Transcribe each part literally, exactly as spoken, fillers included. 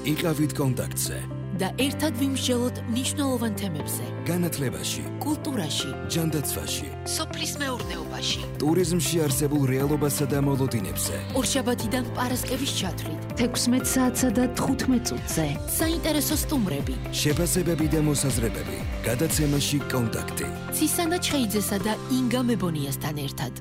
იყავით კონტაქტზე და ერთად ვიმსჯელოთ მნიშვნელოვან თემებზე. განათლებაში, კულტურაში, ჯანდაცვაში, სოფლის მეურნეობაში, ტურიზმში არსებულ რეალობასა და მოლოდინებზე. ორშაბათიდან პარასკევის ჩათვლით, თექვსმეტ საათსა და თხუთმეტ წუთზე. საინტერესო სტუმრები, შეფასებები და მოსაზრებები. გადაცემაში კონტაქტი. ცისანა ჩხეიძესა და ინგა მებონიასთან ერთად.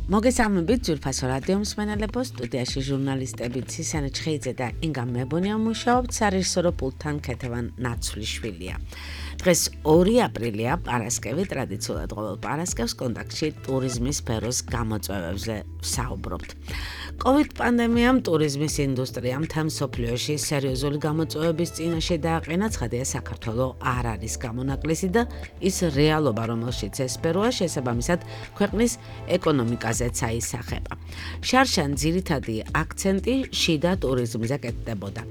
მოგესალმებით ძვირფასო რადიო მსმენელებო, სტუდიაში ჟურნალისტები ცისანა ჩხეიძე და ინგა მებონია მუშაობთ, სარეჟისორო პულტთან ქეთევან ნაცვლიშვილია. დღეს ორი აპრილია, პარასკევი, ტრადიციულად ყოველ პარასკევს კონტაქტში ტურიზმის სფეროს გამოწვევებზე ვსაუბრობთ. COVID პანდემიამ ტურიზმის ინდუსტრიამ მთელ მსოფლიოში სერიოზული გამოწვევების წინაშე დააყენა, ცხადია საქართველო არ არის გამონაკლისი და ის რეალობა, რომელშიც ეს სფეროა, შესაბამისად ქვეყნის ეკონომიკაზეც აისახება. შარშან ძირითადი აქცენტი შიდა ტურიზმზე კეთდებოდა.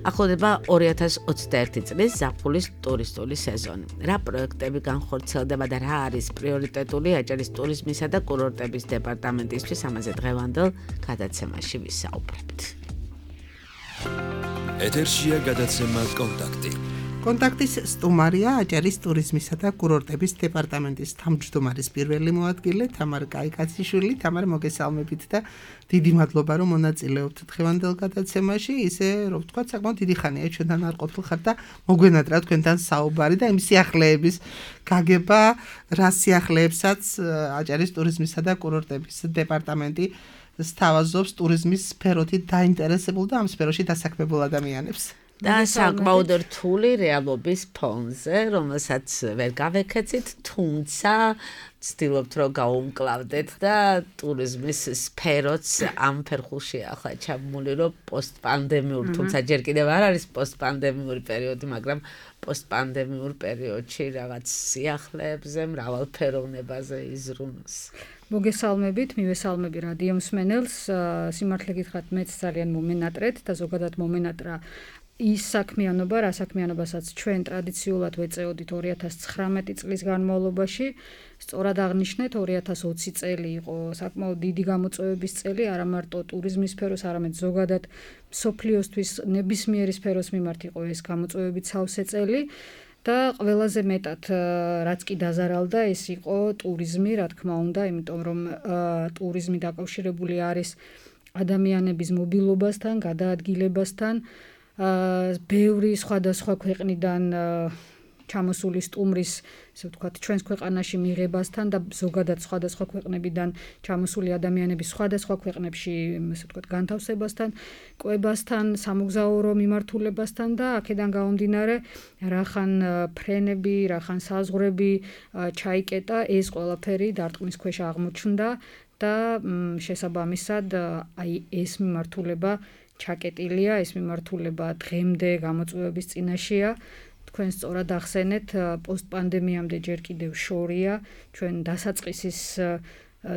ახლოვდება ორი ათას ოცდაერთი წლის ზაფხულის ტურისტული სეზონი. რა პროექტები განხორციელდება და რა არის პრიორიტეტული აჭარის ტურიზმისა და კურორტების დეპარტამენტისთვის, ამაზე დღევანდელ გადაცემაში ვისაუბრებთ. ეთერშია გადაცემა კონტაქტი. კონტაქტის სტუმარია აჭარის ტურიზმისა და კურორტების დეპარტამენტის თავმჯდომარის პირველი მოადგილე თამარ კაიკაციშვილი. თამარ, მოგესალმებით და დიდი მადლობა, რომ მონაწილეობთ დღევანდელ გადაცემაში. ისე რომ ვთქვათ, საკმაოდ დიდი ხანია ჩვენთან არ ყოფილხარ და მოგვენატრა თქვენთან საუბარი და იმ სიახლეების გაგება, რა სიახლეებსაც აჭარის ტურიზმისა და კურორტების დეპარტამენტი სთავაზობს ტურიზმის სფეროთი დაინტერესებულ და ამ სფეროში დასაქმებულ ადამიანებს. და საკმაოდ რთული რეალობის ფონზე, რომელსაც ვერ გავეკეცით, თუმცა ვცდილობთ, რომ გავუმკლავდეთ და ტურიზმის სფეროც ამ ფერხულშია ახლა ჩამული, რომ პოსტპანდემიური, თუმცა ჯერ კიდევ არ არის პოსტპანდემიური პერიოდი, მაგრამ პოსტპანდემიურ პერიოდში რაღაც სიახლეებზე, მრავალფეროვნებაზე იზრუნოს. მოგესალმებით, მივესალმები რადიო მსმენელს. სიმართლე გითხრათ, მეც ძალიან მომენატრეთ და ზოგადად მომენატრა ის საქმიანობა, რა საქმიანობასაც ჩვენ ტრადიციულად ვეწეოდით ორი ათას ცხრამეტი წლის განმავლობაში. სწორად აღნიშნეთ, ორი ათას ოცი წელი იყო საკმაოდ დიდი გამოწვევების წელი, არა მარტო ტურიზმის სფეროს, არამედ ზოგადად მსოფლიოსთვის ნებისმიერი სფეროს მიმართ იყო ეს გამოწვევების სავსე წელი. და ყველაზე მეტად რაც კი დაზარალდა, ეს იყო ტურიზმი, რა თქმა უნდა, იმიტომ რომ ტურიზმი დაკავშირებული არის ადამიანების მობილობასთან, გადაადგილებასთან, ბევრი სხვადასხვა ქვეყნიდან ჩამოსული სტუმრის, ესე ვთქვათ, ჩვენს ქვეყანაში მიღებასთან და ზოგადად სხვადასხვა ქვეყნებიდან ჩამოსული ადამიანების სხვადასხვა ქვეყნებში, ესე ვთქვათ, განთავსებასთან, კვებასთან, სამოგზაურო მიმართულებასთან და აქედან გამომდინარე, რახან ფრენები, რახან საზღვრები ჩაიკეტა, ეს ყველაფერი დარტყმის ქვეშ აღმოჩნდა და შესაბამისად აი ეს მიმართულება ჩაკეტილია, ეს მიმართულება დღემდე გამოწვევების წინაშეა. თქვენ სწორად ახსენეთ, პოსტპანდემიამდე ჯერ კიდევ შორია, ჩვენ დასაწყისის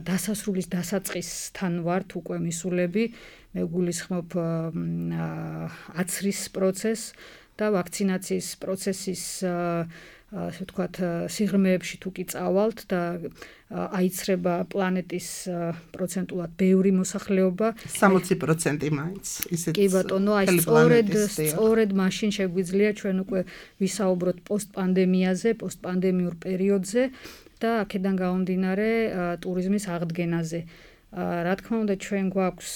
დასასრულის დასაწყისთან ვართ უკვე მისულები, მე გულისხმობ აცრის პროცესს და ვაქცინაციის პროცესის ასე ვთქვათ, სიღრმეებში თუ კი წავალთ და აიცრება პლანეტის პროცენტულად ბევრი მოსახლეობა, სამოცი პროცენტი მაინც. ისეთ კი ბატონო, აი სწორედ სწორედ მაშინ შეგვიძლია ჩვენ უკვე ვისაუბროთ პოსტპანდემიაზე, პოსტპანდემიურ პერიოდზე და აქედან გამომდინარე ტურიზმის აღდგენაზე. რა თქმა უნდა, ჩვენ გვაქვს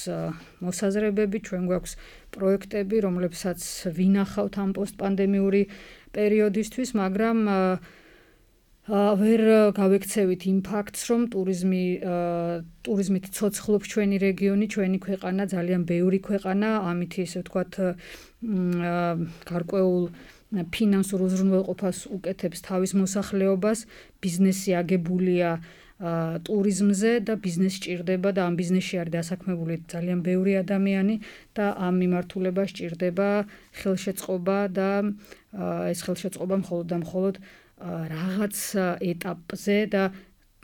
მოსაზრებები, ჩვენ გვაქვს პროექტები, რომლებსაც ვინახავთ ამ პოსტპანდემიური პერიოდისთვის, მაგრამ ვერ გავექცევით იმ ფაქტს, რომ ტურიზმი ტურიზმით ცოცხლობს ჩვენი რეგიონი, ჩვენი ქვეყანა, ძალიან ბევრი ქვეყანა, ამით ესე ვთქვათ, გარკვეულ ფინანსურ უზრუნველყოფას უკეთებს თავის მოსახლეობას, ბიზნესი აგებულია ტურიზმზე და ბიზნესი ჭირდება და ამ ბიზნესში არის დასაქმებული ძალიან ბევრი ადამიანი და ამ მიმართულებას ჭირდება ხელშეწყობა და ეს ხელშეწყობა მხოლოდ და მხოლოდ რაღაც ეტაპზე და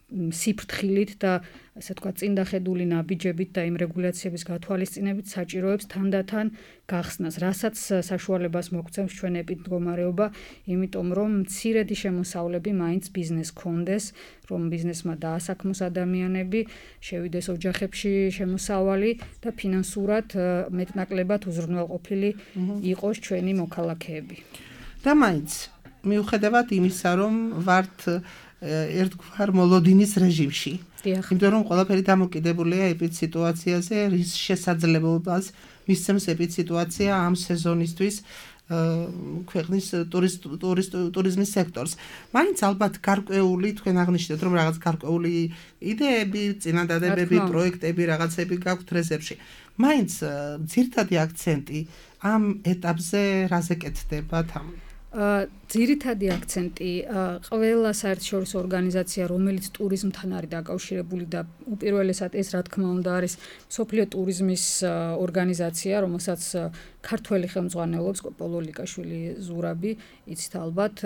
სიფრთხილით და ასე ვთქვათ წინდახედული ნაბიჯებით და იმ რეგულაციების გათვალისწინებით საჭიროებს თანდათან გახსნას, რასაც საშუალებას მოგცემს ჩვენ ეპიდმდგომარეობა, იმიტომ რომ მცირედი შემოსავლები მაინც ბიზნეს კონდეს, რომ ბიზნესმა დაასაქმოს ადამიანები, შევიდეს ოჯახებში შემოსავალი და ფინანსურად მეტნაკლებად უზრუნველყოფილი იყოს ჩვენი მოქალაქეები. და მაინც მიუხედავად იმისა, რომ ვართ ერთგვარ მოლოდინის რეჟიმში. იმიტომ რომ ყველაფერი დამოკიდებულია ეპიდსიტუაციაზე, რის შესაძლებლობას მისცემს ეპიდსიტუაცია ამ სეზონისთვის ქვეყნის ტურიზმის სექტორს. მაინც ალბათ გარკვეული თქვენ აღნიშნეთ, რომ რაღაც გარკვეული იდეები, წინადადებები, პროექტები, რაღაცები გაქვთ რეზერვში. მაინც ძირითადი აქცენტი ამ ეტაპზე რაზე კეთდება თან? ძირითადი აქცენტი ყველა საერთაშორისო ორგანიზაცია, რომელიც ტურიზმთან არის დაკავშირებული და უპირველესად ეს რა თქმა უნდა არის მსოფლიო ტურიზმის ორგანიზაცია, რომელსაც ქართველი ხელმძღვანელობს კოპოლო ლიკაშვილი ზურაბი, იცით ალბათ,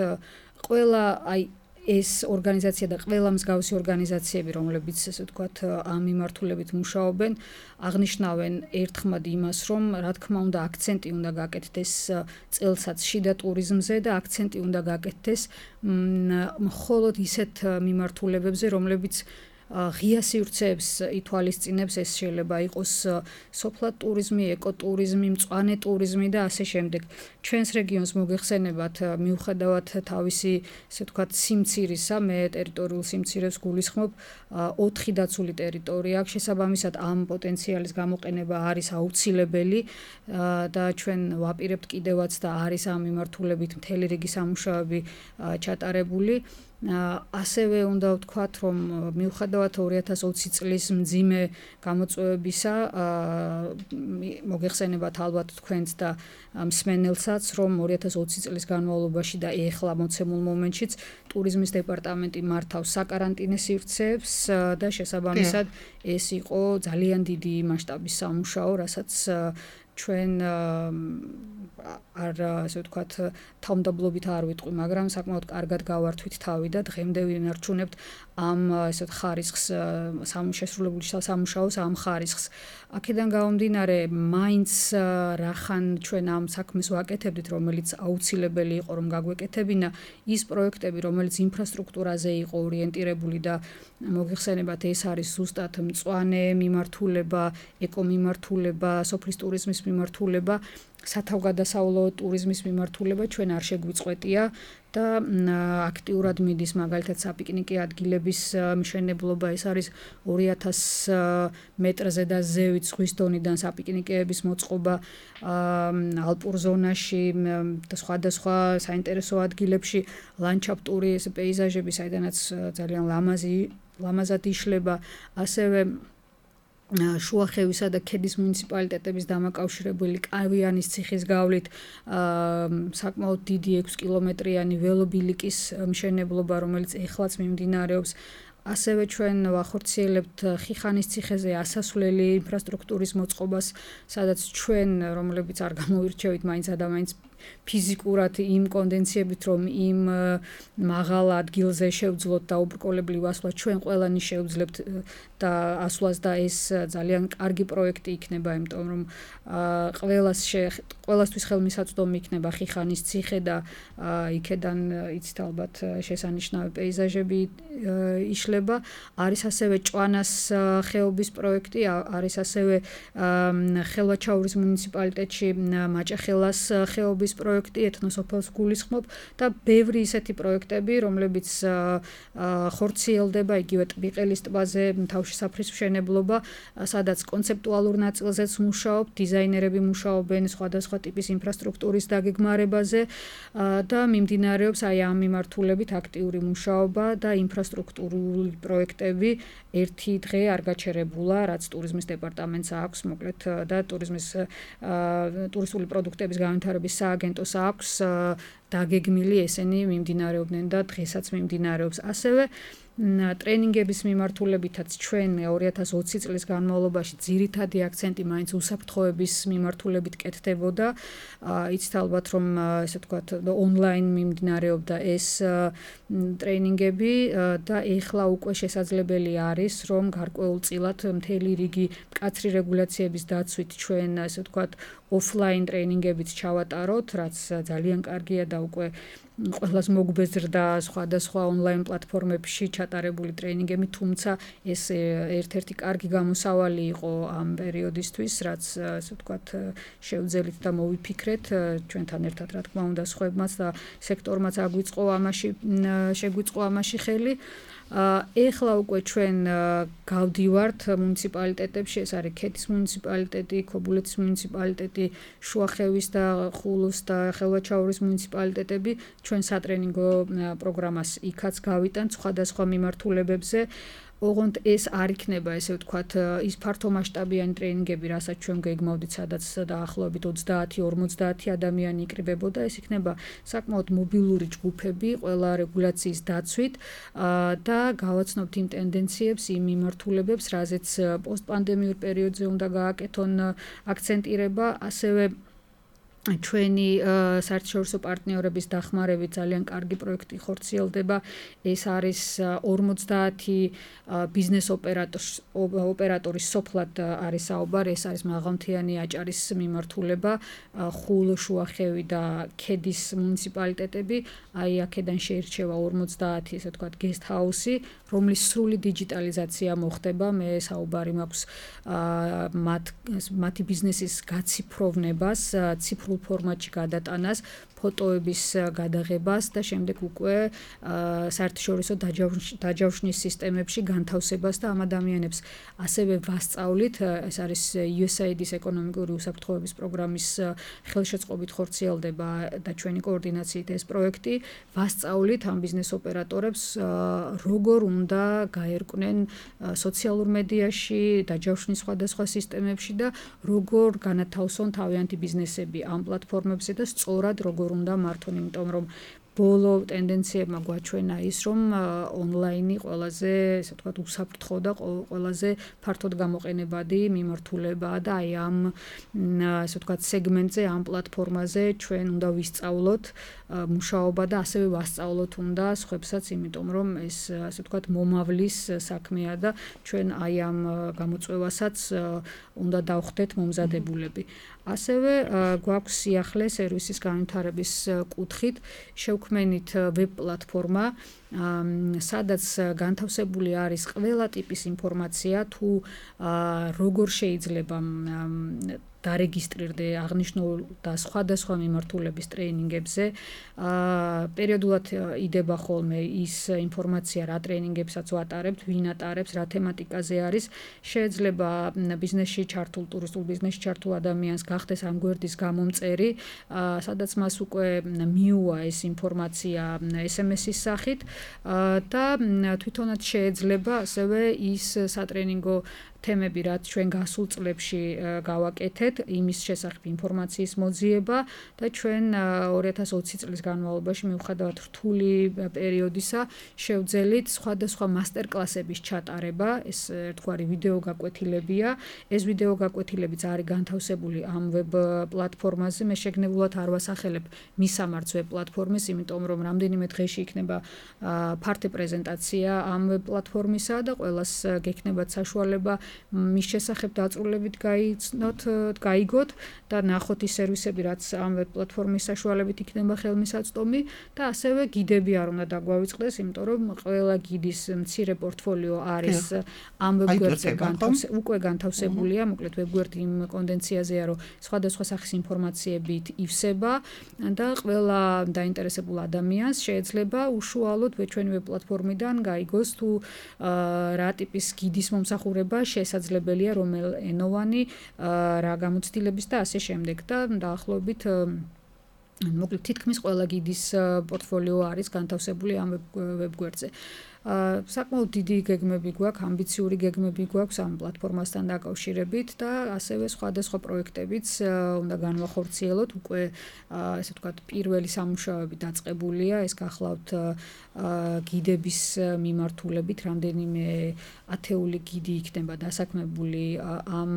ყველა აი ეს ორგანიზაცია და ყველა მსგავსი ორგანიზაციები, რომლებიც ესე ვთქვათ ამ მიმართულებით მუშაობენ, აღნიშნავენ ერთხმად იმას, რომ რა თქმა უნდა აქცენტი უნდა გაკეთდეს წელსაცში და ტურიზმზე და აქცენტი უნდა გაკეთდეს მხოლოდ ისეთ მიმართულებებზე, რომლებიც ღია სივრცეებს ითვალისწინებს, ეს შეიძლება იყოს სოფლად ტურიზმი, ეკოტურიზმი, მწვანე ტურიზმი და ასე შემდეგ. ჩვენს რეგიონს მოგეხსენებათ, მიუხედავად თავისი, ასე ვთქვათ, სიმცირისა, მე ტერიტორიულ სიმცირებს გულისხმობ, ოთხი დაცული ტერიტორია აქვს, შესაბამისად ამ პოტენციალის გამოყენება არის აუცილებელი და ჩვენ ვაპირებთ კიდევაც და არის ამ მიმართულებით მთელი რიგი სამუშაოები ჩატარებული. ასევე უნდა ვთქვათ, რომ მიუხედავად ორი ათას ოცი წლის მძიმე გამოწვევებისა, მოგეხსენებათ ალბათ თქვენც და მსმენელსაც, რომ ორი ათას ოცი წლის განმავლობაში და ეხლა მოცემულ მომენტშიც ტურიზმის დეპარტამენტი მართავს საკარანტინე სივრცეებს და შესაბამისად ეს იყო ძალიან დიდი მასშტაბის სამუშაო, რასაც ჩვენ არ ასე ვთქვათ თავმდაბლობით არ ვიტყვი, მაგრამ საკმაოდ კარგად გავართვით თავი და დღემდე ვინარჩუნებთ ამ ესეთ ხარისხს სამუშესრულებული სამუშაოს ამ ხარისხს. აქედან გამომდინარე, მაინც რახან ჩვენ ამ საქმეს ვაკეთებდით, რომელიც აუცილებელი იყო რომ გაგვეკეთებინა, ის პროექტები, რომელიც ინფრასტრუქტურაზე იყო ორიენტირებული და მოგეხსენებათ, ეს არის ზუსტად მწვანე მიმართულება, ეკომიმართულება, სოფლის ტურიზმის მიმართულება, სათავგადასავლო ტურიზმის მიმართულება ჩვენ არ შეგვიწყვეტია და აქტიურად მიდის მაგალითად საპიკნიკე ადგილების მშენებლობა, ეს არის ორი ათას მეტრზე და ზევით ზღვის დონიდან საპიკნიკეების მოწყობა ალპურ ზონაში და სხვადასხვა საინტერესო ადგილებში, ლანდშაფტური ეს პეიზაჟები, საიდანაც ძალიან ლამაზი ლამაზად იშლება, ასევე შუახევისა და ქედის მუნიციპალიტეტების დამაკავშირებელი კავიანის ციხის გავლით საკმაოდ დიდი ექვსი კილომეტრიანი ველობილიკის მშენებლობა, რომელიც ეხლაც მიმდინარეობს. ასევე ჩვენ ვახორციელებთ ხიხანის ციხეზე ასასვლელი ინფრასტრუქტურის მოწყობას, სადაც ჩვენ, რომლებიც არ გამოვირჩევით მაინც ადამიანს ფიზიკურად იმ კონდენციებით, რომ იმ მაღალ ადგილზე შევძლოთ და უბრკოლებლივ ასვლას, ჩვენ ყველანი შევძლებთ და ასვლას და ეს ძალიან კარგი პროექტი იქნება, იმიტომ რომ ყველას ყველასთვის ხელმისაწვდომი იქნება ხიხანის ციხე და იქედან იცით ალბათ შესანიშნავი პეიზაჟები იშლება. არის ასევე ჭვანას ხეობის პროექტი, არის ასევე ხელვაჩაურის მუნიციპალიტეტში მაჭახელას ხეობის პროექტი, ეთნოსოფელს გულისხმობ და ბევრი ისეთი პროექტები, რომლებიც ხორციელდება იგივე ტბიყელის ტბაზე, თავშესაფრის მშენებლობა, სადაც კონცეპტუალურ ნაწილზეც მუშაობ, დიზაინერები მუშაობენ სხვადასხვა ტიპის ინფრასტრუქტურის დაგეგმარებაზე და მიმდინარეობს აი ამ მიმართულებით აქტიური მუშაობა და ინფრასტრუქტურული პროექტები ერთი დღე არ გაჩერებულა, რაც ტურიზმის დეპარტამენტს აქვს, მოკლედ და ტურიზმის ტურისტული პროდუქტების განვითარების სააგენტოს აქვს დაგეგმილი, ესენი მიმდინარეობდნენ და დღესაც მიმდინარეობს. ასევე ტრენინგების მიმართულებითაც ჩვენ ორი ათას ოცი წლის განმავლობაში ძირითადი აქცენტი მაინც უსაფრთხოების მიმართულებით კეთდებოდა. იცით ალბათ რომ ესე ვთქვათ ონლაინ მიმდინარეობდა ეს ტრენინგები და ეხლა უკვე შესაძლებელი არის რომ გარკვეულწილად მთელი რიგი მკაცრი რეგულაციების დაცვით ჩვენ ესე ვთქვათ ოფლაინ ტრენინგებიც ჩავატაროთ, რაც ძალიან კარგია და უკვე ყველას მოგბეზრდა სხვადასხვა ონლაინ პლატფორმებში ჩატარებული ტრენინგები, თუმცა ეს ერთ-ერთი კარგი გამოსავალი იყო ამ პერიოდისთვის, რაც ასე ვთქვათ შევძელით და მოვიფიქრეთ ჩვენთან ერთად, რა თქმა უნდა, სხვებმაც და სექტორმაც აგვიწყო ამაში შეგვიწყო ამაში ხელი. ეხლა უკვე ჩვენ გავდივართ მუნიციპალიტეტებში, ეს არის ქეთის მუნიციპალიტეტი, ქობულეთის მუნიციპალიტეტი, შუახევის და ხულოს და ხელვაჩაურის მუნიციპალიტეტები ჩვენ სატრენინგო პროგრამას იქაც გავიტანთ სხვადასხვა მიმართულებებზე. ოღონდ ეს არ იქნება, ესე ვთქვათ, ის ფართომასშტაბიანი ტრენინგები, რასაც ჩვენ გეგმავდით, სადაც დაახლოებით ოცდაათი ორმოცდაათი ადამიანი იკრიბებოდა, ეს იქნება საკმაოდ მობილური ჯგუფები, ყველა რეგულაციის დაცვით და გავაცნობთ იმ ტენდენციებს, იმ მიმართულებებს, რაზეც პოსტპანდემიურ პერიოდზე უნდა გააკეთონ აქცენტირება, ასევე ჩვენი საერთაშორისო პარტნიორების დახმარებით ძალიან კარგი პროექტი ხორციელდება. ეს არის ორმოცდაათი ბიზნეს ოპერატორის სოფლად არის საუბარი, ეს არის მაღალმთიანი აჭარის მიმართულება, ხულო, შუახევი და ქედის მუნიციპალიტეტები. აი აქედან შეირჩევა ორმოცდაათი, ესე ვთქვათ, guest house-ი, რომლის სრული დიჯიტალიზაცია მოხდება. მე საუბარი მაქვს მათ მათი ბიზნესის გაციფროვნებას, ციფრულ ფორმატში გადატანას, ფოტოების გადაღებას და შემდეგ უკვე საერთაშორისო დაჯავშნის სისტემებში განთავსებას და ამ ადამიანებს ასევე ვასწავლით. ეს არის იუ ეს έი აი-დის ეკონომიკური უსაფრთხოების პროგრამის ხელშეწყობით ხორციელდება და ჩვენი კოორდინაციით ეს პროექტი. ვასწავლით ამ ბიზნეს ოპერატორებს როგორ უნდა გაერკვნენ სოციალურ მედიაში, დაჯავშნის სხვადასხვა სისტემებში და როგორ განათავსონ თავიანთი ბიზნესები ამ პლატფორმებზე და სწორად როგორ უნდა მართონ, იმიტომ რომ ბოლო ტენდენციებმა გვაჩვენა ის, რომ ონლაინი ყველაზე, ესე ვთქვათ, უსაფრთხო და ყველაზე ფართოდ გამოყენებადი მიმართულებაა და აი ამ ესე ვთქვათ სეგმენტზე, ამ პლატფორმაზე ჩვენ უნდა ვისწავლოთ მუშაობა და ასევე ვასწავლოთ უნდა სხვებსაც, იმიტომ რომ ეს ასე ვთქვათ მომავლის საქმეა და ჩვენ აი ამ გამოწვევასაც უნდა დავხდეთ მომზადებულები. ასევე გვაქვს სიახლე სერვისის განვითარების კუთხით შევქმენით ვებ პლატფორმა, სადაც განთავსებული არის ყველა ტიპის ინფორმაცია, თუ როგორ შეიძლება დარეგისტრირდე აღნიშნულ და სხვადასხვა მიმართულების ტრენინგებზე. პერიოდულად იდება ხოლმე ის ინფორმაცია, რა ტრენინგებსაც ვატარებთ, ვინ ატარებს, რა თემატიკაზე არის. შეიძლება ბიზნესში ჩართულ, ტურისტულ ბიზნესში ჩართულ ადამიანს გახდეს ამ გვერდის გამომწერი, სადაც მას უკვე მიუვა ეს ინფორმაცია ეს ემ ეს-ის სახით და თვითონაც შეიძლება ასევე ის სატრენინგო თემები, რაც ჩვენ გასულ წლებში გავაკეთეთ, იმის შესახებ ინფორმაციის მოძიება და ჩვენ ორი ათას ოცი წლის განმავლობაში მიუხედავად რთული პერიოდისა შევძელით სხვადასხვა მასტერკლასების ჩატარება. ეს ერთგვარი ვიდეო გაკვეთილებია. ეს ვიდეო გაკვეთილებიც არის განთავსებული ამ ვებ პლატფორმაზე. მე შეგნებულად არ ვასახელებ მისამართს ვებ პლატფორმის, იმიტომ რომ რამდენიმე დღეში იქნება ფართე პრეზენტაცია ამ ვებ პლატფორმისა და ყველას გექნებათ საშუალება მის შესახებ დაწვრილებით გაიცნოთ, გაიგოთ და ნახოთ ის სერვისები, რაც ამ ვებ პლატფორმის საშუალებით იქნება ხელმისაწვდომი და ასევე გიდები არ უნდა დაგვავიწყდეს, იმიტომ რომ ყველა გიდის მცირე პორტფოლიო არის ამ ვებ გვერდზე განთავსებული, უკვე განთავსებულია, მოკლედ ვებ გვერდი იმ კონდენციაზეა, რომ სხვადასხვა სახის ინფორმაციებით ივსება და ყველა დაინტერესებულ ადამიანს შეიძლება უშუალოდ ჩვენი ვებ პლატფორმიდან გაიგოს თუ რა ტიპის გიდის მომსახურება შესაძლებელია, რომელ ენოვანი, რა გამოცდილების და ასე შემდეგ და დაახლოებით მოკლედ თითქმის ყველა გიდის პორტფოლიო არის განთავსებული ამ ვებ გვერდზე. საკმაოდ დიდი გეგმები გვაქვს, ამბიციური გეგმები გვაქვს ამ პლატფორმასთან დაკავშირებით და ასევე სხვადასხვა პროექტებიც უნდა განვახორციელოთ. უკვე ესე ვთქვათ, პირველი სამუშაოები დაწყებულია, ეს გახლავთ გიდების მიმართულებით, რამდენიმე ათეული გიდი იქნება დასაქმებული ამ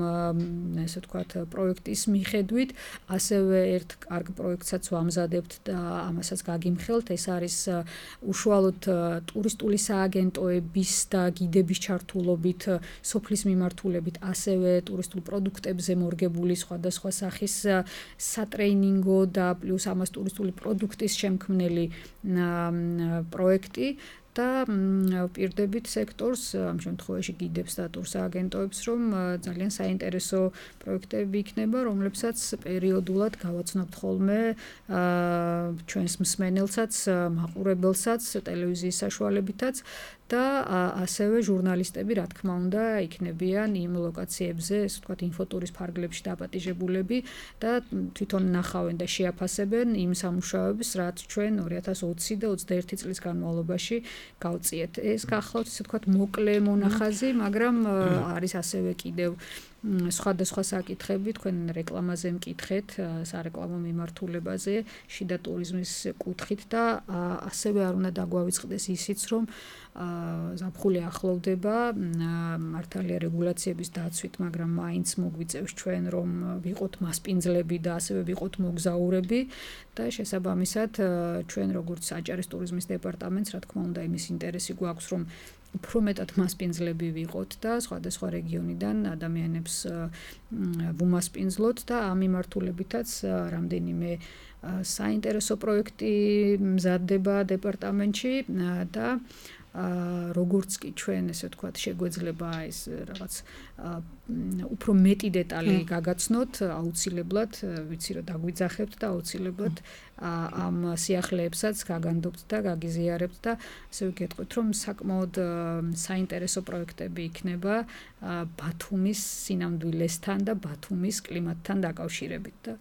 ესე ვთქვათ, პროექტის მიხედვით. ასევე ერთ კარგ პროექტსაც ვამზადებთ და ამასაც გაგიმხელთ. ეს არის უშუალოდ ტურისტული სააგენტოების და გიდების ჩართულობით, სოფლის მიმართულებით, ასევე ტურისტულ პროდუქტებზე მორგებული სხვადასხვა სახის სატრეინინგო და პლუს ამას ტურისტული პროდუქტის შემქმნელი პროექტი. და პირდებით სექტორს, ამ შემთხვევაში გიდებს და ტურსააგენტოებს, რომ ძალიან საინტერესო პროექტები იქნება, რომლებსაც პერიოდულად გავაცნობთ ხოლმე ჩვენს მსმენელსაც, მაყურებელსაც, ტელევიზიის საშუალებითაც და ასევე ჟურნალისტები, რა თქმა უნდა, იქნებიან იმ ლოკაციებზე, ესე ვთქვათ, ინფოტურის ფარგლებში დაპატიჟებულები და თვითონ ნახავენ და შეაფასებენ იმ სამუშაოებს, რაც ჩვენ ორი ათას ოცი და ოცდაერთი წლის განმავლობაში გავწიეთ. ეს გახლავთ, ესე ვთქვათ, მოკლე მონახაზი, მაგრამ არის ასევე კიდევ სხვადასხვა საკითხები, თქვენ რეკლამაზე მკითხეთ, სარეკლამო მიმართულებაზე, შიდა ტურიზმის კუთხით და ასევე არ უნდა დაგვავიწყდეს ისიც, რომ ზაფხული ახლოვდება, მართალია რეგულაციების დაცვით, მაგრამ მაინც მოგვიწევს ჩვენ, რომ ვიყოთ მასპინძლები და ასევე ვიყოთ მოგზაურები და შესაბამისად ჩვენ როგორც აჭარის ტურიზმის დეპარტამენტს, რა თქმა უნდა, იმის ინტერესი გვაქვს, რომ უფრო მეტად მასპინძლები ვიყოთ და სხვადასხვა რეგიონიდან ადამიანებს ვუმასპინძლოთ და ამ მიმართულებითაც რამდენიმე საინტერესო პროექტი მზადდება დეპარტამენტში და როგორც კი ჩვენ ესე ვთქვათ შეგვეძლება ეს რაღაც უფრო მეტი დეტალი გაგაცნოთ, აუცილებლად ვიცი რომ დაგვიძახებთ და აუცილებლად ამ სიახლეებსაც გაგანდობთ და გაგიზიარებთ და ასე ვიგეთყვით რომ საკმაოდ საინტერესო პროექტები იქნება ბათუმის სინამდვილესთან და ბათუმის კლიმატთან დაკავშირებით და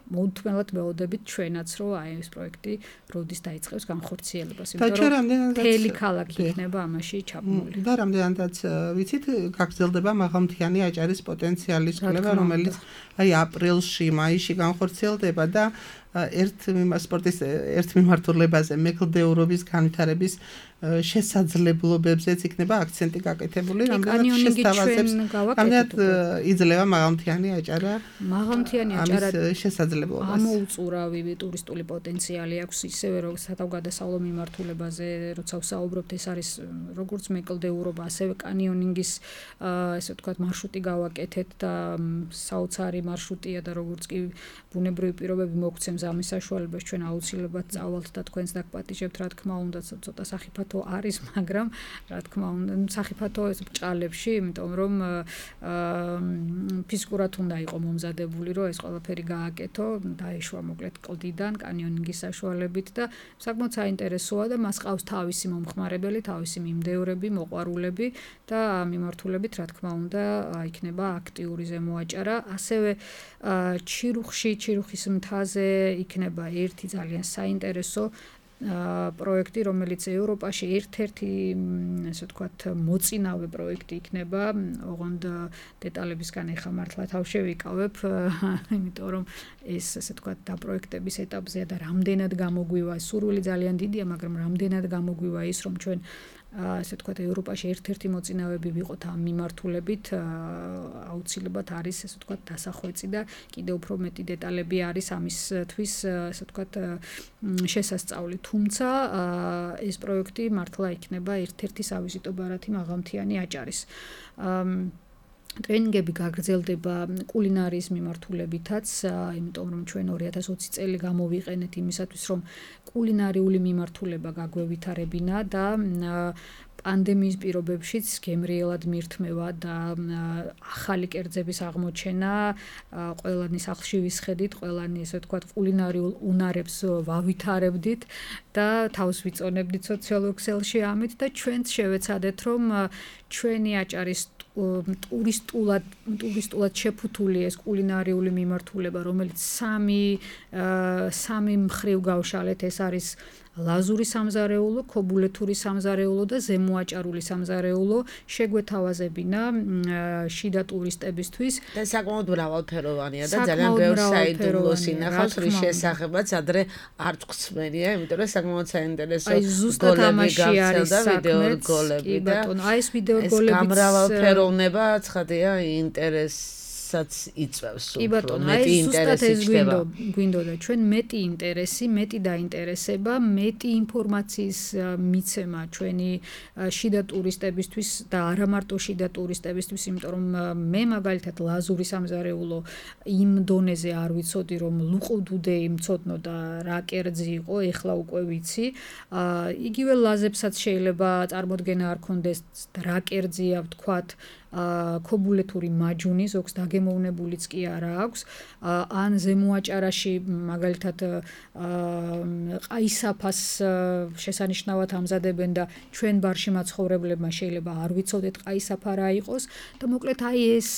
მოუთმენლად მეოდებით ჩვენაც რომ აი ეს პროექტი როდის დაიწყებს განხორციელებას, იმიტომ რომ მთელი ქალაქი იქნება ამაში ჩაბმული. და რამდენადაც ვიცით, გაგრძელდება მაღალმთიანი აჭარის პოტენციალის კვლევა, რომელიც აი აპრილში, მაისში განხორციელდება და ერთ სპორტის ერთ მიმართულებაზე მეკლდეურობის განვითარების შესაძლებლობებზეც იქნება აქცენტი გაკეთებული, რამდენად შესთავაზებს, რამდენად იძლევა მაღალმთიანი აჭარა მაღალმთიანი აჭარა შესაძლებლობას. ამოუწურავი ტურისტული პოტენციალი აქვს, ისევე როგორც სათავგადასავლო მიმართულებაზე, როცა ვსაუბრობთ, ეს არის როგორც მეკლდეურობა, ასევე კანიონინგის ესე ვთქვათ მარშრუტი გავაკეთეთ და საოცარი მარშრუტია და როგორც კი ბუნებრივი პირობები მოგცემს ამის საშუალებას ჩვენ აუცილებლად წავალთ და თქვენს დაგპატიჟებთ, რა თქმა უნდა, ცოტა სახიფათო არის, მაგრამ რა თქმა უნდა, სახიფათო ეს ბჭყალებში, იმიტომ რომ ფიზიკურად უნდა იყოს მომზადებული, რომ ეს ყველაფერი გააკეთო, დაეშვა მოკლედ კლდიდან, კანიონინგის საშუალებით და საკმაოდ საინტერესოა და მას ყავს თავისი მომხმარებელი, თავისი მიმდევრები, მოყვარულები და მიმართულებით, რა თქმა უნდა, იქნება აქტიური ზემოაჭარა. ასევე ჩირუხში, ჩირუხის მთაზე იქნება ერთი ძალიან საინტერესო პროექტი, რომელიც ევროპაში ერთ-ერთი, ასე ვთქვათ, მოწინავე პროექტი იქნება. ოღონდ დეტალებისგან ეხა მართლა თავ შევიკავებ, იმიტომ რომ ეს, ასე ვთქვათ, დაპროექტების ეტაპზეა და რამდენად გამოგვივა, სურვილი ძალიან დიდია, მაგრამ რამდენად გამოგვივა ის, რომ ჩვენ ასე ვთქვათ, ევროპაში ერთ-ერთი მოწინავეები ვიყოთ ამ მიმართულებით, აუცილებლად არის, ასე ვთქვათ, დასახვეწი და კიდევ უფრო მეტი დეტალები არის ამისთვის, ასე ვთქვათ, შესასწავლი. თუმცა ეს პროექტი მართლა იქნება ერთ-ერთი სავიზიტო ბარათი მაღალმთიანი აჭარის. ტრენინგები გაგრძელდება კულინარიის მიმართულებითაც, იმიტომ რომ ჩვენ ორი ათას ოცი წელი გამოვიყენეთ იმისათვის, რომ კულინარიული მიმართულება გაგვევითარებინა და პანდემიის პირობებშიც გემრიელად მირთმევა და ახალი კერძების აღმოჩენა, ყველანი სახლში ვისხედით, ყველანი ესე ვთქვათ კულინარიულ უნარებს ვავითარებდით და თავს ვიწონებდით სოციალურ ქსელში ამით და ჩვენც შევეცადეთ, რომ ჩვენი აჭარის ტურისტულად ტურისტულად შეფუთული ეს კულინარიული მიმართულება, რომელიც სამი სამი მხრივ გავშალეთ, ეს არის ლაზური სამზარეულო, ქობულეთური სამზარეულო და ზემოაჭარული სამზარეულო შეგვეთავაზებინა შიდა ტურისტებისთვის. და საკმაოდ მრავალფეროვანია და ძალიან ბევრ საიდუმლოს ინახავს, რის შესახებაც ადრე არ წხსმენია, იმიტომ რომ საკმაოდ საინტერესო გოლები გავცელდა, ვიდეორგოლები და აი ეს ვიდეორგოლებიც გამრავალფეროვნება ცხადია ინტერესს საც იწევს უფრო მეტი ინტერესი ჩდება. გვინდოდა ჩვენ მეტი ინტერესი, მეტი დაინტერესება, მეტი ინფორმაციის მიცემა ჩვენი შიდა ტურისტებისთვის და არა მარტო შიდა ტურისტებისთვის, იმიტომ რომ მე მაგალითად ლაზური სამზარეულო იმ დონეზე არ ვიცოდი, რომ ლუყუდუდეი მცოდნო და რა კერძი იყო, ეხლა უკვე ვიცი. იგივე ლაზებსაც შეიძლება წარმოდგენა არ ქონდეს რა კერძია ვთქვათ ქობულეთური მაჯუნი ზოგს დაგემოვნებულიც კი არა აქვს ან ზემოაჭარაში მაგალითად ყაისაფას შესანიშნავად ამზადებენ და ჩვენ ბარში მაცხოვრებლებმა შეიძლება არ ვიცოდეთ ყაისაფა რა იყოს და მოკლედ აი ეს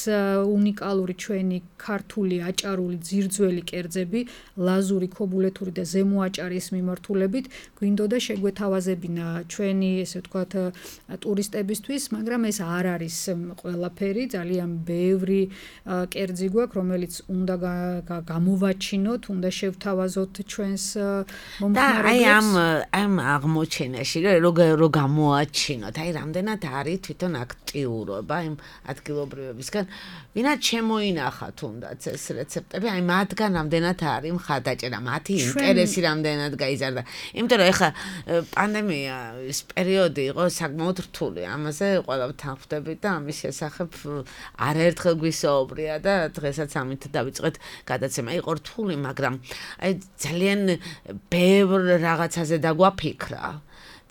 უნიკალური ჩვენი ქართული აჭარული ძირძველი კერძები ლაზური ქობულეთური და ზემოაჭარის მიმართულებით გვინდოდა შეგვეთავაზებინა ჩვენი ესე ვთქვათ ტურისტებისთვის მაგრამ ეს არ არის ყველაფერი ძალიან ბევრი კერძი გვაქვს რომელიც უნდა გამოვაჩინოთ, უნდა შევთავაზოთ ჩვენს მომხმარებლებს. და აი ამ ამ აღმოჩენაში რო რო გამოაჩინოთ, აი რამდენად არის თვითონ აქტიურობა იმ ადგილობრივებისგან, ვინაც შემოინახა თუნდაც ეს რეცეპტები, აი მათგან რამდენად არის მხარდაჭერა, მათი ინტერესი რამდენად გაიზარდა. იმიტომ რომ ეხლა პანდემია ის პერიოდი იყო საკმაოდ რთული, ამაზე ყველაფერთან ხვდებით და ამის შესახებ არაერთხელ გვისაუბრია და დღესაც ამით დავიწყეთ გადაცემა. იყო რთული, მაგრამ აი ძალიან ბევრ რაღაცაზე დაგვაფიქრა.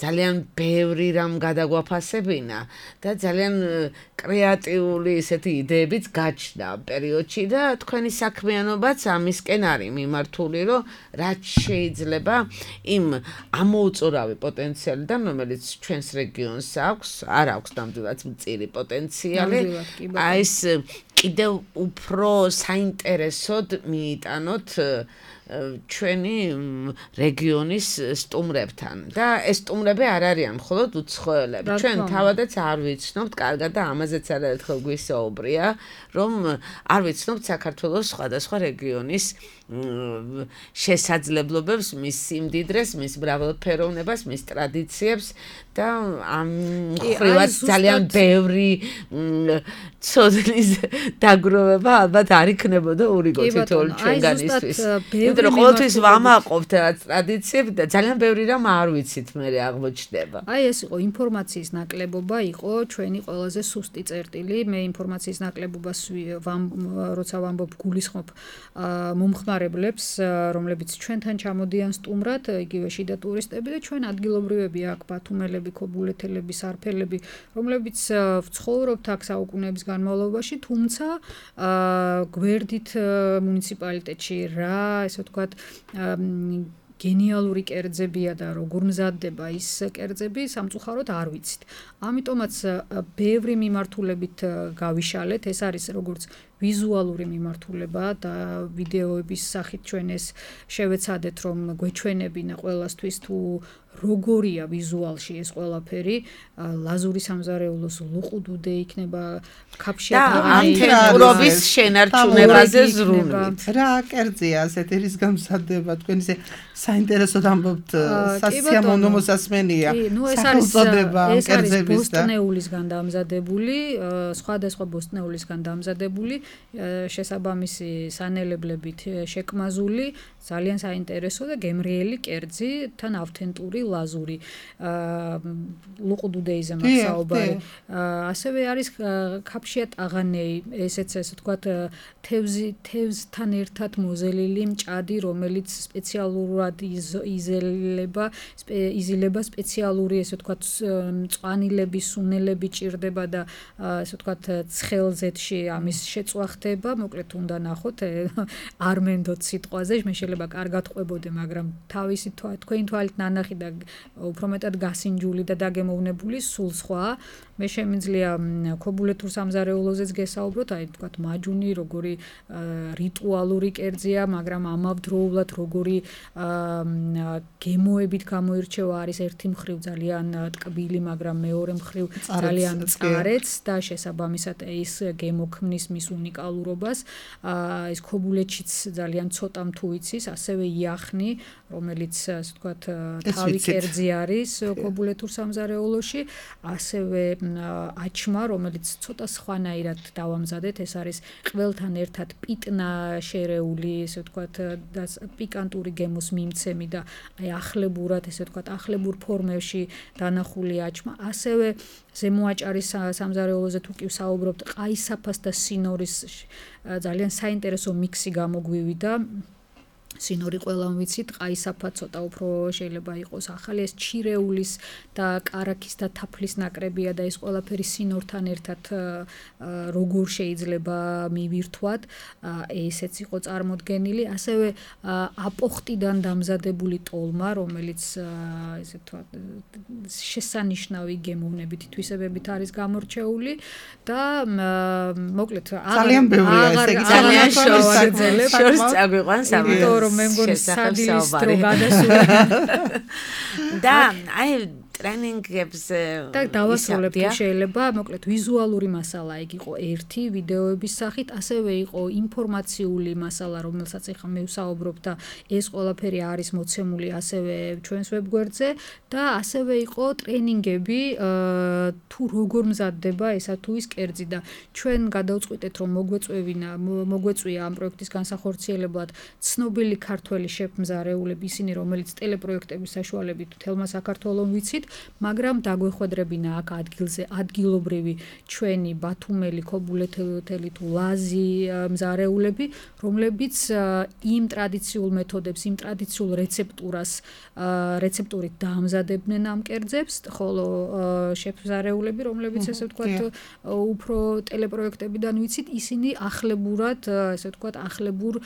ძალიან ბევრი რამ გადაგვაფასებინა და ძალიან კრეატიული ესეთი იდეებიც გაჩნდა ამ პერიოდში და თქვენი საქმიანობაც ამისკენ არის მიმართული, რომ რაც შეიძლება იმ ამოუწურავი პოტენციალიდან, რომელიც ჩვენს რეგიონს აქვს, არ აქვს ნამდვილად მწირი პოტენციალი, აი ეს კიდევ უფრო საინტერესოდ მიიტანოთ ჩვენი რეგიონის სტუმრებთან და ეს სტუმრები არ არიან მხოლოდ უცხოელები. ჩვენ თავადაც არ ვიცნობთ, კარგად და ამაზეც არაერთხელ გვისაუბრია, რომ არ ვიცნობთ საქართველოს სხვადასხვა რეგიონის შესაძლებლობებს, მის სიმდიდრეს, მის მრავალფეროვნებას, მის ტრადიციებს და ამ ხრივაც ძალიან ბევრი ცოდნის დაგროვება ალბათ არ იქნებოდა ურიგო თითოეული ჩვენგანისთვის. იმიტომ რომ ყოველთვის ვამაყობთ რაც ტრადიციები და ძალიან ბევრი რამ არ ვიცით მე აღმოჩნდება. აი ეს იყო ინფორმაციის ნაკლებობა, იყო ჩვენი ყველაზე სუსტი წერტილი. მე ინფორმაციის ნაკლებობას როცა ვამბობ გულისხმობ მომხმარებლებს, რომლებიც ჩვენთან ჩამოდიან სტუმრად, იგივე შიდა ტურისტები და ჩვენ ადგილობრივები აქ ბათუმელები, ქობულეთელები, სარფელები, რომლებიც ვცხოვრობთ აქ საუკუნეების განმავლობაში, თუმცა გვერდით მუნიციპალიტეტში რა, ესე ვთქვათ, გენიალური კერძებია და როგორ მზადდება ის კერძები, სამწუხაროდ არ ვიცით. ამიტომაც ბევრი მიმართულებით გავიშალეთ, ეს არის როგორც ვიზუალური მიმართულება და ვიდეოების სახით ჩვენ ეს შევეცადეთ, რომ გვეჩვენებინა ყველასთვის თუ როგორია ვიზუალში ეს ყველაფერი, ლაზური სამზარეულოს ლუყუდუდე იქნება ქაფშიათაღანი და ამთენურობის შენარჩუნებაზე ზრუნვით. რა კერძია ასეთი რის გამზადდება, თქვენ ისე საინტერესოდ ამბობთ, სასიამოვნო მოსასმენია. ნუ ეს არის ეს არის ბოსტნეულისგან დამზადებული, სხვადასხვა ბოსტნეულისგან დამზადებული, შესაბამისი სანელებლებით შეკმაზული, ძალიან საინტერესო და გემრიელი კერძი, თან ავთენტური ლაზური ლუყუდუდეიზე მახსაობარი. ასევე არის ქაფშიატაღანეი, ესეც ესე ვთქვათ, თევზი თევზთან ერთად მოზელილი მჭადი, რომელიც სპეციალურად იზელება, იზილება სპეციალური, ესე ვთქვათ, მწვანილები, სუნელები ჭირდება და ესე ვთქვათ, ცხელზეთში ამის შეწვა ხდება, მოკლედ უნდა ნახოთ, არ მენდოთ სიტყვაზე, მე შეიძლება კარგად ყვებოდე, მაგრამ თავისი თქვენი თვალით ნანახი და უფრო მეტად გასინჯული და დაგემოვნებული სულ სხვა. მე შემიძლია ქობულეთურ სამზარეულოზეც გესაუბროთ, აი თქვათ მაჯუნი როგორი რიტუალური კერძია, მაგრამ ამავდროულად როგორი გემოებით გამოირჩევა არის ერთი მხრივ ძალიან ტკბილი, მაგრამ მეორე მხრივ ძალიან წარეც და შესაბამისად ის გემოქმნის მის უნიკალურობას. ეს ქობულეთშიც ძალიან ცოტამ თუ იცის, ასევე იახნი, რომელიც ასე ვთქვათ თავი კერძი არის ქობულეთურ სამზარეულოში, ასევე აჩმა, რომელიც ცოტა სხვანაირად დავამზადეთ, ეს არის ყველთან ერთად პიტნა შერეული, ესე ვთქვათ, და პიკანტური გემოს მიმცემი და აი ახლებურად, ესე ვთქვათ, ახლებურ ფორმებში დანახული აჩმა, ასევე ზემოაჭარის სამზარეულოზე თუ კი ვსაუბრობთ, ყაისაფას და სინორის ძალიან საინტერესო მიქსი გამოგვივიდა. სინორი ყველამ ვიცით, ყაისაფა ცოტა უფრო შეიძლება იყოს ახალი, ეს ჩირეულის და კარაქის და თაფლის ნაკრებია და ეს ყველაფერი სინორთან ერთად როგორ შეიძლება მივირთვათ, ესეც იყო წარმოდგენილი, ასევე აპოხტიდან დამზადებული ტოლმა, რომელიც ესე ვთქვათ შესანიშნავი გემოვნებითი თვისებებით არის გამორჩეული და მოკლედ ძალიან ბევრია ესე იგი ძალიან შორს წაგვიყვანს ამას მე მგონი სადილის დრო გადასული და აი ტრენინგებს და დავასრულებ თუ შეიძლება, მოკლედ ვიზუალური მასალა ეგ იყო ერთი ვიდეოების სახით, ასევე იყო ინფორმაციული მასალა, რომელსაც ახლა მე ვსაუბრობ და ეს ყველაფერი არის მოცემული ასევე ჩვენს ვებგვერდზე და ასევე იყო ტრენინგები თუ როგორ მზადდება ესა თუ ის კერძი და ჩვენ გადავწყვიტეთ რომ მოგვეწევინა მოგვეწვია ამ პროექტის განსახორციელებლად ცნობილი ქართველი შეფმზარეულები ისინი რომელიც ტელეპროექტების საშუალებით თელმა საქართველოს ვიცით მაგრამ დაგვეხვედრებინა აქ ადგილზე ადგილობრივი ჩვენი ბათუმელი ქობულეთელი თუ ლაზი მზარეულები რომლებიც იმ ტრადიციულ მეთოდებს იმ ტრადიციულ რეცეპტურას რეცეპტურით დაამზადებდნენ ამ კერძებს ხოლო შეფმზარეულები რომლებიც ესე ვთქვათ უფრო ტელეპროექტებიდან ვიცით ისინი ახლებურად ესე ვთქვათ ახლებურ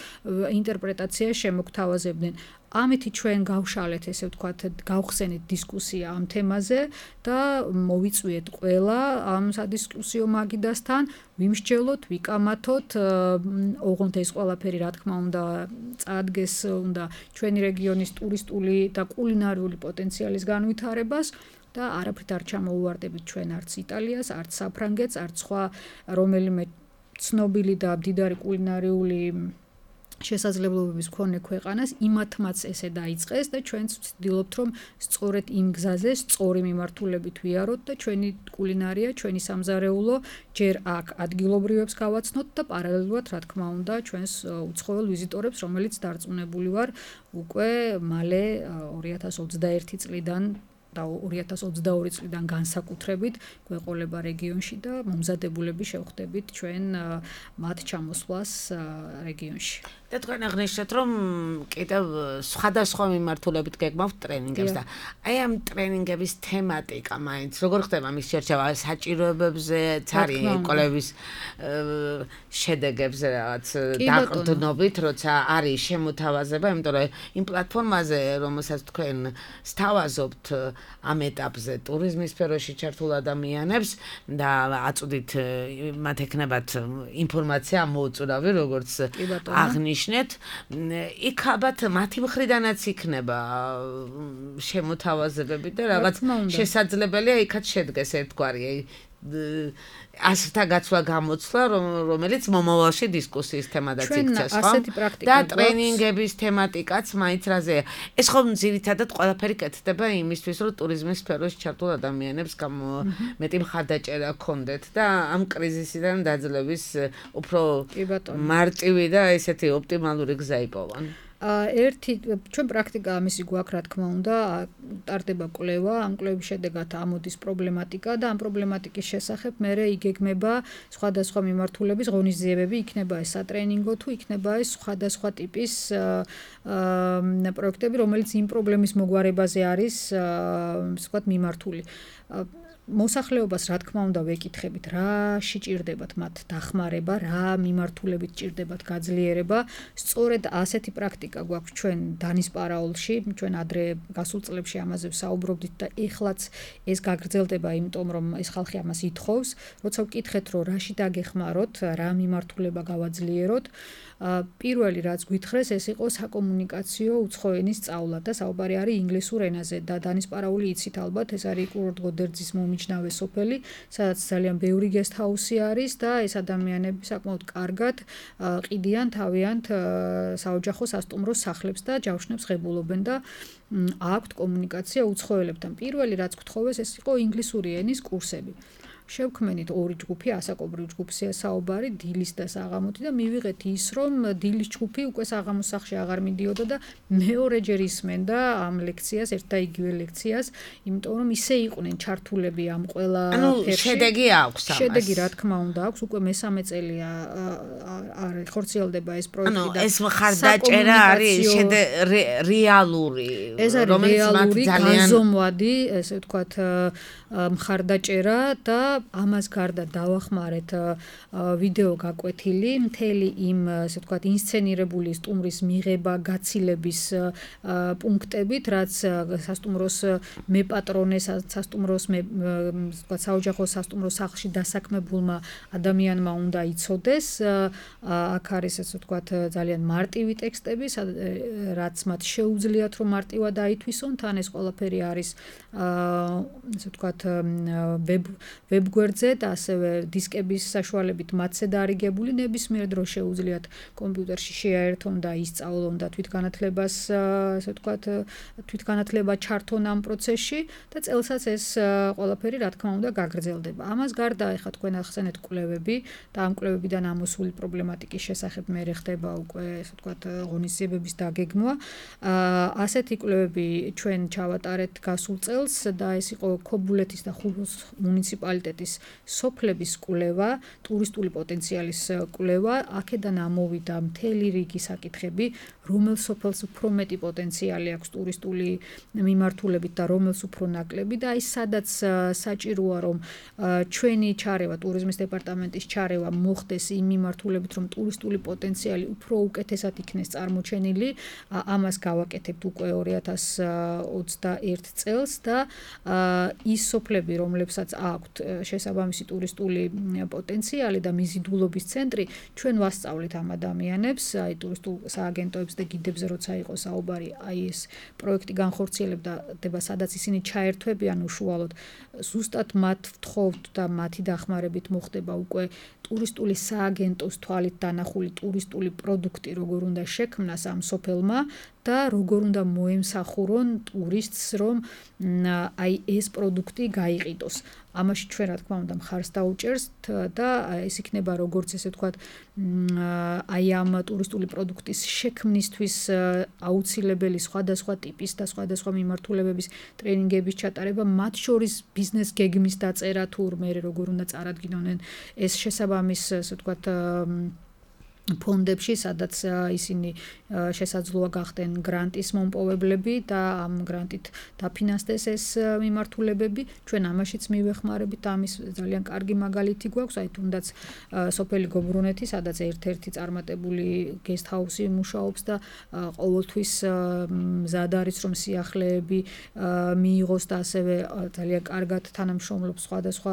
ინტერპრეტაციას შემოგთავაზებდნენ ამით ჩვენ გავშალეთ ესე ვთქვათ გავხსენეთ დისკუსია ამ თემაზე და მოვიწვიეთ ყველა ამ სადისკუსიო მაგიდასთან ვიმსჯელოთ ვიკამათოთ ოღონდ ეს ყველაფერი რა თქმა უნდა წაადგეს უნდა ჩვენი რეგიონის ტურისტული და კულინარიული პოტენციალის განვითარებას და არაფრით არ ჩამოუვარდებით ჩვენ არც იტალიას არც საფრანგეთს არც სხვა რომელიმე ცნობილი და მდიდარი კულინარიული შესაძლებლობების მქონე ქვეყანას იმათმაც ესე დაიწყეს და ჩვენც ვცდილობთ რომ სწორედ იმ გზაზე სწორი მიმართულებით ვიაროთ და ჩვენი კულინარია, ჩვენი სამზარეულო ჯერ აქ ადგილობრივებს გავაცნოთ და პარალელურად რა თქმა უნდა ჩვენს უცხოელ ვიზიტორებს რომელიც დარწმუნებული ვარ უკვე მალე ორი ათას ოცდაერთი წლიდან და ორი ათას ოცდაორი წლიდან განსაკუთრებით გვეყოლება რეგიონში და მომზადებულები შევხვდებით ჩვენ მათ ჩამოსვლას რეგიონში. და თქვენ აღნიშნეთ რომ კიდევ სხვადასხვა მიმართულებით გეგმავთ ტრენინგებს და აი ამ ტრენინგების თემატიკა მაინც როგორ ხდება მის შერჩევა საჭიროებებზე ცარი კოლების შედეგებზე რაღაც დაყრდნობით როცა არის შემოთავაზება იმიტომ რომ იმ პლატფორმაზე რომელსაც თქვენ სთავაზობთ ამ ეტაპზე ტურიზმის სფეროში ჩართულ ადამიანებს და აწვდით მათ ეკნებათ ინფორმაცია მოუწურავი როგორც აღნიშნეთ იქ ალბათ მათი მხრიდანაც იქნება შემოთავაზებები და რაღაც შესაძლებელია იქაც შედგეს ერთგვარი ასთა გაცვლა გამოცვლა რომელიც მომავალში დისკუსიის თემადაც იქცეს ხო და ტრენინგების თემატიკაც მაინც რაზეა ეს ხომ ძირითადად ყველაფერი კეთდება იმისთვის რომ ტურიზმის სფეროში ჩართულ ადამიანებს მეტი მხარდაჭერა ჰქონდეთ და ამ კრიზისიდან დაძლევის უფრო მარტივი და ესეთი ოპტიმალური გზა იპოვონ ერთი ჩვენ პრაქტიკა ამისი გვაქვს რა თქმა უნდა ტარდება კვლევა ამ კვლევის შედეგად ამოდის პრობლემატიკა და ამ პრობლემატიკის შესახებ მერე იგეგმება სხვადასხვა მიმართულების ღონისძიებები იქნება ეს სატრენინგო თუ იქნება ეს სხვადასხვა ტიპის პროექტები რომელიც იმ პრობლემის მოგვარებაზე არის ვთქვათ მიმართული მოსახლეობას რა თქმა უნდა ვეკითხებით, რა შეჭირდებათ მათ დახმარება, რა მიმართულებით ჭირდებათ გაძლიერება. სწორედ ასეთი პრაქტიკა გვაქვს ჩვენ დანის პარაოლში, ჩვენ ადრე გასულ წლებში ამაზე ვსაუბრობდით და ეხლაც ეს გაგრძელდება, იმიტომ რომ ეს ხალხი ამას ითხოვს, როცა ვკითხეთ, რომ რაში დაგეხმაროთ, რა მიმართულება გავაძლიეროთ. პირველი რაც გვითხრეს, ეს იყო საკომუნიკაციო უცხო ენის სწავლა და საუბარი არის ინგლისურ ენაზე და დანის პარაული იცით ალბათ, ეს არის კურორტ გოდერძის მომიჯნავე სოფელი, სადაც ძალიან ბევრი გესტჰაუსი არის და ეს ადამიანები საკმაოდ კარგად ყიდიან თავიანთ საოჯახო სასტუმროს სახლებს და ჯავშნებს ღებულობენ და აქვთ კომუნიკაცია უცხოელებთან. პირველი რაც გთხოვეს, ეს იყო ინგლისური ენის კურსები. შევქმენით ორი ჯგუფი, ასაკობრივ ჯგუფია საუბარი, დილის და საღამოთი და მივიღეთ ის, რომ დილის ჯგუფი უკვე საღამოს სახლში აღარ მიდიოდა და მეორეჯერ ისმენდა ამ ლექციას, ერთ და იგივე ლექციას, იმიტომ რომ ისე იყვნენ ჩართულები ამ ყველა ფერში. ანუ შედეგი აქვს ამას. შედეგი რა თქმა უნდა აქვს, უკვე მესამე წელია არის ხორციელდება ეს პროექტი და ეს მხარდაჭერა არის რეალური, რომელიც რეალური განზომვადი, ესე ვთქვათ, მხარდაჭერა და ამას გარდა დავახმარეთ ვიდეო გაკვეთილი, მთელი იმ, ასე ვთქვათ, ინსცენირებული სტუმრის მიღება, გაცილების პუნქტებით, რაც სასტუმროს მეპატრონეს, სასტუმროს მე, ვთქვათ, საოჯახო სასტუმროს სახლში დასაქმებულმა ადამიანმა უნდა იცოდეს. აქ არის, ასე ვთქვათ, ძალიან მარტივი ტექსტები, რაც მათ შეუძლიათ, რომ მარტივად აითვისონ, თან ეს ყველაფერი არის, ასე ვთქვათ, ვებ ვებგვერდზე და ასევე დისკების საშუალებით მათზე დარიგებული, ნებისმიერ დროს შეუძლიათ კომპიუტერში შეაერთონ და ისწავლონ და თვითგანათლებას, ასე ვთქვათ, თვითგანათლება ჩართონ ამ პროცესში და წელსაც ეს ყველაფერი რა თქმა უნდა გაგრძელდება. ამას გარდა ეხლა თქვენ ახსენეთ კვლევები და ამ კვლევებიდან ამოსული პრობლემატიკის შესახებ მე ხდება უკვე, ასე ვთქვათ, ღონისძიებების დაგეგმვა. ასეთი კვლევები ჩვენ ჩავატარეთ გასულ წელს და ეს იყო ქობულეთის და ხულოს მუნიციპალიტეტის სოფლების კვლევა, ტურისტული პოტენციალის კვლევა, აქედან ამოვიდა მთელი რიგი საკითხები, რომელ სოფელს უფრო მეტი პოტენციალი აქვს ტურისტული მიმართულებით და რომელს უფრო ნაკლები და აი სადაც საჭიროა რომ ჩვენი ჩარევა, ტურიზმის დეპარტამენტის ჩარევა მოხდეს იმ მიმართულებით, რომ ტურისტული პოტენციალი უფრო უკეთესად იქნეს წარმოჩენილი, ამას გავაკეთებთ უკვე ორი ათას ოცდაერთ წელს და ის სოფლები, რომლებსაც აქვთ შესაბამისი ტურისტული პოტენციალი და მიზიდულობის ცენტრი, ჩვენ ვასწავლით ამ ადამიანებს, აი ტურისტულ სააგენტოებს და გიდებზე როცა იყო საუბარი, აი ეს პროექტი განხორციელებდა, სადაც ისინი ჩაერთვებიან უშუალოდ, ზუსტად მათ ვთხოვთ და მათი დახმარებით მოხდება უკვე ტურისტული სააგენტოს თვალით დანახული ტურისტული პროდუქტი, როგორ უნდა შექმნას ამ სოფელმა და როგორ უნდა მოემსახურონ ტურისტს, რომ აი ეს პროდუქტი გაიყიდოს. ამაში ჩვენ რა თქმა უნდა მხარს დაუჭერს და ეს იქნება როგორც ესე ვთქვათ, აი ამ ტურისტული პროდუქტის შექმნისთვის აუცილებელი სხვადასხვა ტიპის და სხვადასხვა მიმართულებების ტრენინგების ჩატარება, მათ შორის ბიზნეს გეგმის დაწერა თუ მე როგორ უნდა წარადგინონ ეს შესაბამის, ასე ვთქვათ, ფონდებში, სადაც ისინი შესაძლოა გახდნენ გრანტის მომპოვებლები და ამ გრანტით დაფინანსდეს ეს მიმართულებები. ჩვენ ამაშიც მივეხმარებით, ამის ძალიან კარგი მაგალითი გვაქვს, აი თუნდაც სოფელი გობრუნეთი, სადაც ერთ-ერთი წარმატებული გესტჰაუსი მუშაობს და ყოველთვის მზად არის, რომ სიახლეები მიიღოს და ასევე ძალიან კარგად თანამშრომლობს სხვადასხვა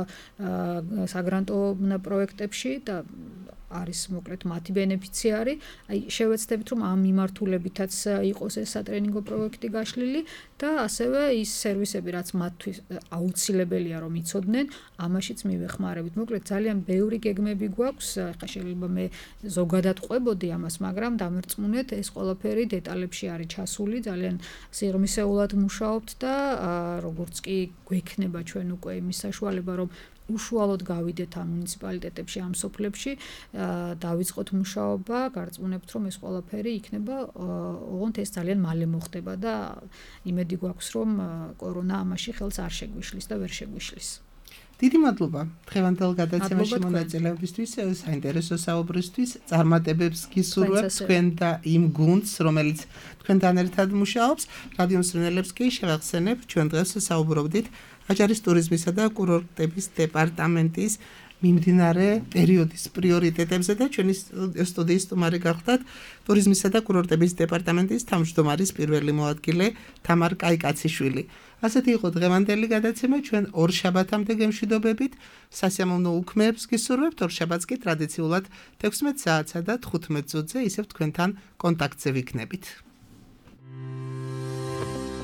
საგრანტო პროექტებში და არის მოკლედ მათი ბენეფიციარი. აი შევეცდებით, რომ ამ მიმართულებითაც იყოს ეს სატრენინგო პროექტი გაშლილი და ასევე ის სერვისები, რაც მათთვის აუცილებელია რომ იცოდნენ, ამაშიც მივეხმარებით. მოკლედ ძალიან ბევრი გეგმები გვაქვს. ახლა შეიძლება მე ზოგადად ყვებოდი ამას, მაგრამ დამერწმუნეთ, ეს ყველაფერი დეტალებში არის ჩასული, ძალიან სიღრმისეულად მუშაობთ და როგორც კი გვექნება ჩვენ უკვე იმის საშუალება, რომ უშუალოდ გავიდეთ ამ მუნიციპალიტეტებში, ამ სოფლებში, დავიწყოთ მუშაობა, გარწმუნებთ, რომ ეს ყველაფერი იქნება, ოღონდ ეს ძალიან მალე მოხდება და იმედი გვაქვს, რომ კორონა ამაში ხელს არ შეგვიშლის და ვერ შეგვიშლის. დიდი მადლობა დღევანდელ გადაცემაში მადლობა თქვენ. მონაწილეობისთვის, საინტერესო საუბრისთვის, წარმატებებს გისურვებთ თქვენც ასე. თქვენ და იმ გუნდს, რომელიც თქვენთან ერთად მუშაობს. რადიო მსმენელებს კი შევახსენებ, ჩვენ დღეს საუბრობდით აჭარის ტურიზმისა და კურორტების დეპარტამენტის მიმდინარე პერიოდის პრიორიტეტებზე და ჩვენი სტუდიის სტუმარი გახდათ ტურიზმისა და კურორტების დეპარტამენტის თავმჯდომარის პირველი მოადგილე თამარ კაიკაციშვილი. ასეთი იყო დღევანდელი გადაცემა, ჩვენ ორ შაბათამდე გემშვიდობებით, სასიამოვნო უქმეებს გისურვებთ, ორ შაბათს კი ტრადიციულად თექვსმეტ საათსა და თხუთმეტ წუთზე ისევ თქვენთან კონტაქტზე ვიქნებით.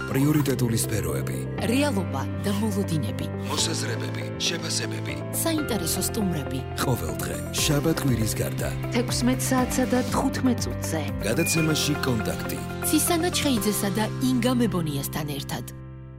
პრიორიტეტული სფეროები, რეალობა და მოლოდინები, მოსაზრებები, შეფასებები. საინტერესო სტუმრები. ყოველდღე შაბათ-კვირის გარდა თექვსმეტ საათსა და თხუთმეტ წუთზე. გადაცემაში კონტაქტი. ცისანა ჩხეიძესა და ინგა მებონიასთან ერთად.